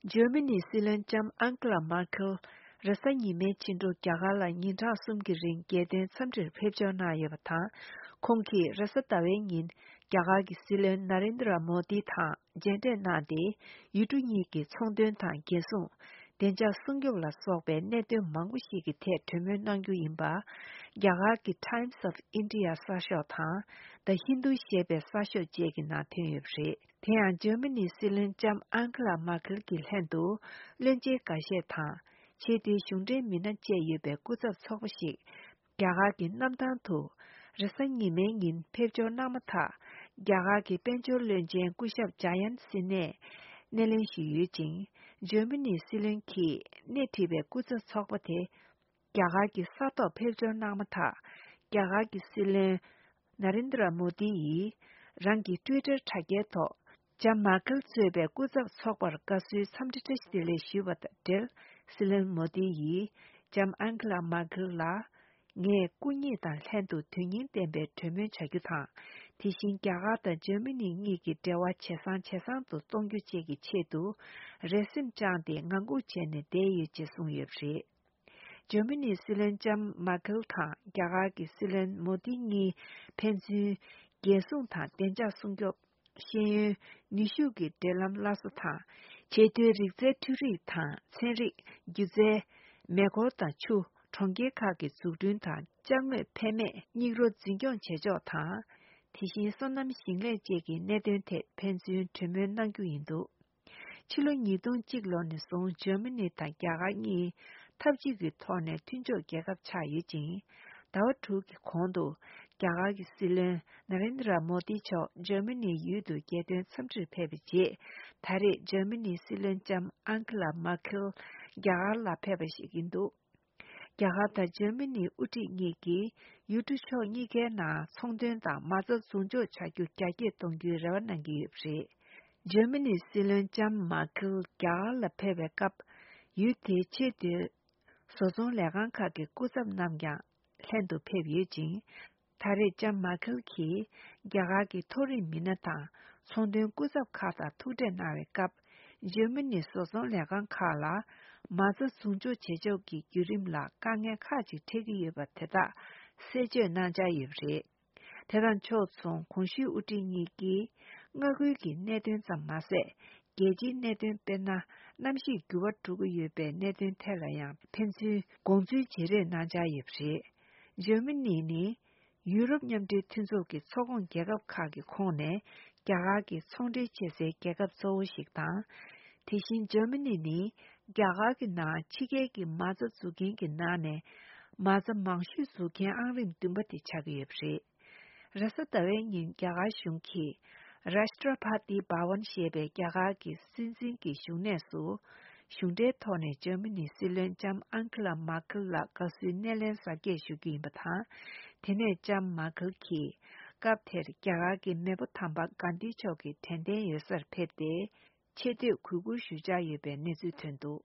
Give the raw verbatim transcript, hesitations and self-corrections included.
འཇར་མ་ནིའི་སྲིད་བློན་ལྕམ་ཨན་ཀི་ལ་མར་ཁེལ་རེས་གཟའ་ཉི་མའི་ཕྱི་དྲོ་རྒྱ་གར་ལ་ཉིན་གྲངས་གསུམ་གྱི་རིང་རྒྱལ་དོན་འཚམས་འདྲིར་ཕེབས་འབྱོར་གནང་ཡོད་པ་དང་། ཁོང་གིས་རེས་གཟའ་ཟླ་བའི་ཉིན་རྒྱ་གར་གྱི་སྲིད་བློན་ན་རེན་དྲ་མོ་དི་དང་མཇལ་འཕྲད་གནང་སྟེ། ཡུལ་གྲུ་གཉིས་ཀྱི་ཚོང་དོན་དང་རྒྱལ་སྲུང་། བདེ་འཇགས་སྲུང་སྐྱོབ་ལ་སོགས་པའི་གནད་དོན་མང་པོ་ཞིག་གི་ཐད་གྲོས་མོལ་གནང་རྒྱུ་ཡིན་པ། རྒྱ་གར་གྱི་Times of India གསར་ཤོག་དང་The Hindu ཞེས་པའི་གསར་ཤོག་བཅས་ཀྱི་ནང་ཐོན་ཡོད་པ་རེད། དེ་ཡང་འཇར་མ་ནིའི་སྲིད་བློན་ལྕམ་ཨན་ཁི་ལ་མར་ཁེལ་གྱི་ལྷན་དུ། བློན་ཆེན་འགའ་ཤས་དང་། ཆེས་མཐོའི་གཞུང་འབྲེལ་མི་སྣ་བཅས་ཡོད་པའི་སྐུ་ཚབ་ཚོགས་པ་ཞིག་རྒྱ་གར་གྱི་གནམ་ཐང་དུ། རེས་གཟའ་ཉི་མའི་ཉིན་ཕེབས་འབྱོར་གནང་མ་ཐག་རྒྱ་གར་གྱི་དཔལ་འབྱོར་བློན་ཆེན་སྐུ་ཞབས་ཇ་ཡན་སི་ནས་སྣེ་ལེན་ཞུས་ཡོད་ཅིང་། འཇར་མ་ནིའི་སྲིད་བློན་གྱིས་སྣེ་ཁྲིད་པའི་སྐུ་ཚབ་ཚོགས་པ་དེ། རྒྱ་གར་གྱི་ས་ཐོག་ཕེབས་འབྱོར་གནང་མ་ཐག་རྒྱ་གར་གྱི་སྲིད་བློན་ན་རེན་དྲ་མོ་དི་ཡིས་རང་གི་ཊུའི་ཊར་དྲ་རྒྱའི་ཐོག་ལྕམ་མར་ཁེལ་གཙོས་པའི་སྐུ་ཚབ་ཚོགས་པར་དགའ་བསུའི་འཚམས་འདྲི་བཀྲ་ཤིས་བདེ་ལེགས་ཞུས་པ་དང་འབྲེལ། སྲིད་བློན་མོ་དི་ཡིས་ལྕམ་ཨན་ཁི་ལ་མར་ཁེལ་ལ། ངས་སྐུ་ཉིད་དང་ལྷན་དུ་དོན་སྙིང་ལྡན་པའི་གྲོས་མོལ་བྱ་རྒྱུ་དང་། དེ་བཞིན་རྒྱ་གར་དང་འཇར་མ་ནི་གཉིས་ཀྱི་འབྲེལ་བ་ཇེ་བཟང་ཇེ་བཟང་དུ་གཏོང་རྒྱུ་བཅས་ཀྱི་ཆེད་དུ། རེ་སེམས་བཅངས་ཏེ་ངང་སྒུག་བྱས་ནས་བསྡད་ཡོད་ཅེས་གསུངས་ཡོད་པ་རེད། འཇར་མ་ནིའི་སྲིད་བློན་ལྕམ་མར་ཁེལ་དང་རྒྱ་གར་གྱི་སྲིད་བློན་མོ་དི་གཉིས་ཕན་ཚུན་རྒྱལ་སྲུང་དང་བདེ་འཇགས་སྲུང་སྐྱོབ། ཤེས་ཡོན། ནུས་ཤུགས་ཀྱི་འབྲེལ་ལམ་སླར་གསོ་དང་། ཆེས་མཐོའི་རིག་རྩལ་འཕྲུལ་རིག་དང་ཚན་རིག་སྒྱུ་རྩལ། མེ་འཁོར་དང་ཆུ། གྲོང་ཁྱེར་ཁག་གི་འཛུགས་སྐྲུན་དང་ཅ་དངོས་ཕན་མེད་སྙིགས་རོ་འཛིན་སྐྱོང་བྱེད་ཕྱོགས་དང་། དེ་བཞིན་སོ་ནམ་ཞིང་ལས་བཅས་ཀྱི་གནད་དོན་ཐད་ཕན་ཚུན་གྲོས་མོལ་གནང་རྒྱུ་ཡིན་འདུག་ཕྱི་ལོ་ཉིས་སྟོང་གཅིག་ལོ་ནས་བཟུང་འཇར་མ་ནི་དང་རྒྱ་གར་གཉིས་འཐབ་ཇུས་ཀྱི་ཐོག་ནས་མཐུན་ཕྱོགས་རྒྱལ་ཁབ་ཆགས་ཡོད་ཅིང་། ཟླ་བ་དྲུག་གི་གོང་དུ་རྒྱ་གར་གྱི་སྲིད་བློན་ན་རེན་དྲ་མོ་དི་མཆོག་འཇར་མ་ནིའི་ཡུལ་དུ་རྒྱལ་དོན་འཚམས་འདྲིར་ཕེབས་པའི་རྗེས། ད་རེས་འཇར་མ་ནིའི་སྲིད་བློན་ལྕམ་ཨན་ཁི་ལ་མར་ཁེལ་རྒྱ་གར་ལ་ཕེབས་པ་ཞིག་ཡིན་འདུག་རྒྱ་གར་དང་འཇར་མ་ནིའི་དབུ་ཁྲིད་གཉིས་ཀྱིས་ཡུལ་གྲུ་ཕྱོགས་གཉིས་ཀའི་ནང་ཚོང་དོན་དང་མ་རྩ་འཛུགས་འཇོག་བྱ་རྒྱུ་རྒྱ་སྐྱེད་གཏོང་རྒྱུའི་རེ་བ་གནང་གི་ཡོད་པ་རེད། འཇར་མ་ནིའི་སྲིད་བློན་ལྕམ་མར་ཁེལ་རྒྱ་གར་ལ་ཕེབས་པའི་སྐབས། ཡུལ་དེའི་ཆེས་མཐོའི་བཟོ་ཚོང་ལས་ཁང་ཁག་གི་སྐུ་ཚབ་རྣམས་ཀྱང་ལྷན་དུ་ཕེབས་ཡོད་ཅིང་། ད་རེས་ལྕམ་མར་ཁེལ་གྱིས་རྒྱ་གར་གྱི་མཐོ་རིམ་མི་སྣ་དང་ཚོང་དོན་སྐུ་ཚབ་ཁག་དང་ཐུག་འཕྲད་གནང་བའི་སྐབས། འཇར་མ་ནིའི་བཟོ་ཚོང་ལས་ཁང་ཁག་ལ་མ་རྩ་འཛུགས་འཇོག་བྱེད་ཕྱོགས་ཀྱི་བརྒྱུད་རིམ་ལ་དཀའ་ངལ་ཁག་ཅིག་འཕྲད་ཀྱི་ཡོད་པ་དེ་དག་གསལ་བརྗོད་གནང་འཆར་ཡོད་པ་རེད། དེ་དང་ཕྱོགས་མཚུངས་གོང་ཞུས་དབུ་ཁྲིད་གཉིས་ཀྱིས་མངའ་ཁུལ་གྱི་གནད་དོན་ཙམ་མ་ཟད། རྒྱལ་སྤྱིའི་གནད་དོན་དཔེར་ན། གནམ་གཤིས་འགྱུར་བ་འགྲོ་གི་ཡོད་པའི་གནད་དོན་ཐད་ལ་ཡང་ཕན་ཚུན་དགོངས་ཚུལ་བརྗེ་རེས་གནང་འཆར་ཡོད་པ་རེད། འཇར་མ་ནི་ནི། ཡུ་རོབ་མཉམ་འབྲེལ་མཐུན་ཚོགས་ཀྱི་ཚོགས་ཁོངས་རྒྱལ་ཁབ་ཁག་གི་ཁོངས་ནས་རྒྱ་གར་གྱི་ཚོང་འབྲེལ་བྱེད་སའི་རྒྱལ་ཁབ་གཙོ་བོ་ཞིག་དང་། དེ་བཞིན་འཇར་མ་ནི་ནི་རྒྱ་གར་གྱི་ནང་ཕྱི་རྒྱལ་གྱི་མ་རྩ་འཛུགས་མཁན་གྱི་ནང་ནས་མ་རྩ་མང་ཤོས་འཛུགས་མཁན་ཨང་རིམ་བདུན་པ་དེ་ཆགས་ཀྱི་ཡོད་པ་རེད། རེས་གཟའ་ཟླ་བའི་ཉིན་རྒྱ་གར་གཞུང་གིས་Rashtrapati Bhavan ཞེས་པའི་རྒྱ་གར་གྱི་སྲིད་འཛིན་གྱི་བཞུགས་གནས་སུ། གཞུང་འབྲེལ་ཐོག་ནས་འཇར་མ་ནིའི་སྲིད་བློན་ལྕམ་ཨན་ཁི་ལ་མར་ཁེལ་ལ་དགའ་བསུའི་སྣེ་ལེན་གཟབ་རྒྱས་ཞུ་རྒྱུ་ཡིན་པ་དང་། དེ་ནས་ལྕམ་མར་ཁེལ་གྱིས་སྐབས་དེར་རྒྱ་གར་གྱི་མེས་པོ་དམ་པ་གྷན་དྷི་མཆོག་གི་དྲན་རྟེན་ཡོད་སར་ཕེབས་ཏེ། ཆེ་བསྟོད་གུས་བཀུར་ཞུ་འཆར་ཡོད་པའི་གནས་ཚུལ་ཐོན་འདུག